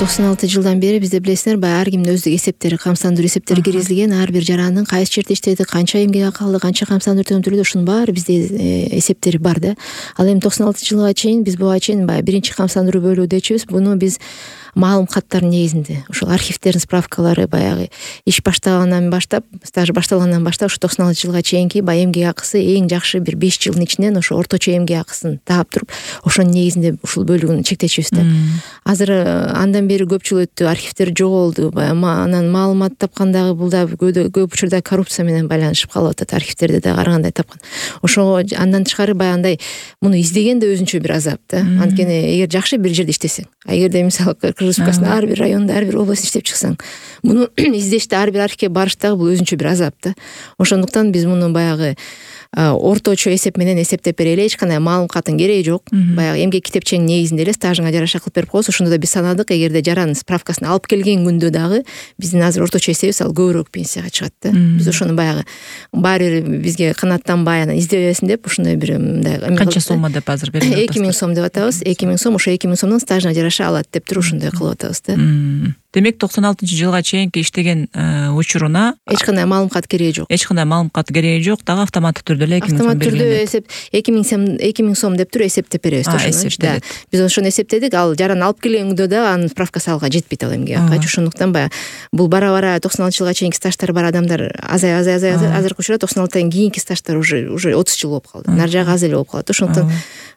96-жылдан бери бизде билесиңер, баягы ар кимдин өздүк эсептери, камсыздандыруу эсептери киргизилген. Ар бир жарандын кайсы жерде иштеди, канча эмгек акы алды, канча камсыздандыруу төлөдү, ушунун баары бизде эсептери бар да. Ал эми 96-жылга чейин биз буга чейин баягы биринчи камсыздандыруу бөлүү дечүбүз. Буну биз маалым каттардын негизинде, ошол архивтердин справкалары, баягы иш баштагандан баштап, стаж башталгандан баштап ушу 96-жылга чейинки баягы эмгек акысы эң жакшы бир 5 жылдын ичинен ошо орточо эмгек акысын таап туруп, ошонун негизинде ушул бөлүгүн чектечүбүз да. Азыр андан бери көп жыл өттү, архивтер жоголду, анан маалымат тапкан дагы бул да көп учурда коррупция менен байланышып калып атат, архивтерде да карагандай тапкан. Ошого андан тышкары баягындай муну издеген да өзүнчө бир азап да. Анткени эгер жакшы бир жерде иштесең, эгерде мисалы Республикасынын ар бир районунда, ар бир областта иштеп чыксаң, муну издеште ар бир архивге барыштагы бул өзүнчө бир азап да. Ошондуктан биз муну баягы орточо эсеп менен эсептеп берели, эч кандай маалым каттын кереги жок. Баягы эмгек китепченин негизинде эле стажыңа жараша кылып берип коебуз. Ошондо да биз санадык, эгерде жаранын справкасын алып келген күндө дагы биздин азыр орточо эсебибиз ал көбүрөөк пенсияга чыгат да. Биз ошону баягы баары бир бизге канааттанбай анан издебесин деп ушундай бир мындай канча соммо деп азыр берип атабыз. 2000 сом деп атабыз. 2000 сом, ошо 2000 сомдон стажына жараша алат деп туруп ушундай кылып атабыз да. Демек 96-жылга чейинки иштеген учуруна эч кандай маалым кат кереги жок. Эч кандай маалым кат кереги жок, дагы автоматтык түрдө эле 2000 сом автомат түрдө белгиленет. эсеп 2000 сом деп туруп эсептеп беребиз ошону. Биз ошону эсептедик, ал жаран алып келген күндө да анын справкасы алга жетпейт ал эмгек акы. Ошондуктан баягы бул бара-бара 96-жылга чейинки стаждар бар адамдар азай азыркы учурда 96-тан кийинки стаждар уже 30 жыл болуп калды. Нар жагы аз эле болуп калат. Ошондуктан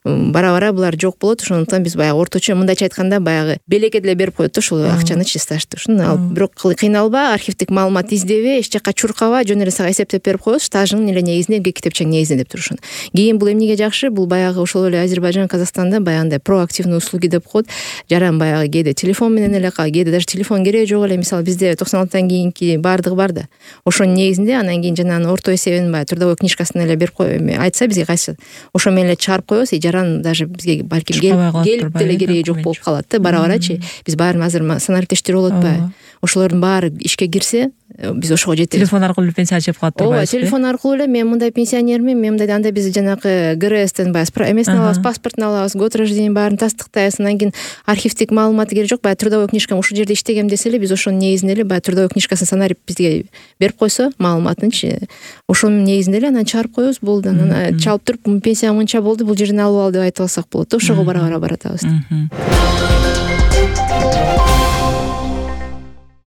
бара-бара булар жок болот. Ошондуктан биз баягы орточо мындайча айтканда баягы белекке деле берип коет да ушул акчанычы, стажды. Ушуну алып бирок кыйналба, архивдик маалымат издебе, эч жакка чуркаба, жөн эле сага эсептеп берип коебуз, стажыңдын эле негизинде, эмгек китепчеңдин негизинде деп турушун. Кийин бул эмнеге жакшы? Бул баягы ошол эле Азербайжан, Казакстанда баягындай проактивный услуги деп коет. Жаран баягы кээде телефон менен эле кээде даже телефон кереги жок эле. Мисалы бизде 96-тан кийинки баардыгы бар да. Ошонун негизинде анан кийин жанагы орто эсебин баягы трудовой книжкасын эле берип айтса бизге кайсы ошо менен эле чыгарып коебуз. Жаран даже бизге балким келип деле кереги жок болуп калат да. Бара-барачы биз баарын азыр санариптештер болуп атпайбы? Ошолордун баары ишке кирсе, биз ошого жетебиз. Телефон аркылуу пенсия чыгып калат турбайбызбы? Ооба, телефон аркылуу эле мен мындай пенсионермин, мен мындай, анда биз жанагы ГРСтен баягы эмесин алабыз, паспортун алабыз, год рождения баарын тастыктайбыз. Анан кийин архивдик маалыматы керек жок, баягы трудовой книжкам ушул жерде иштегем десе эле биз ошонун негизинде эле баягы трудовой книжкасын санарип бизге берип койсо, маалыматынчы, ошонун негизинде эле анан чыгарып коебуз, болду. Анан чалып туруп пенсия мынча болду, бул жерден алып ал деп айтып алсак болот. Ошого бара-бара баратабыз.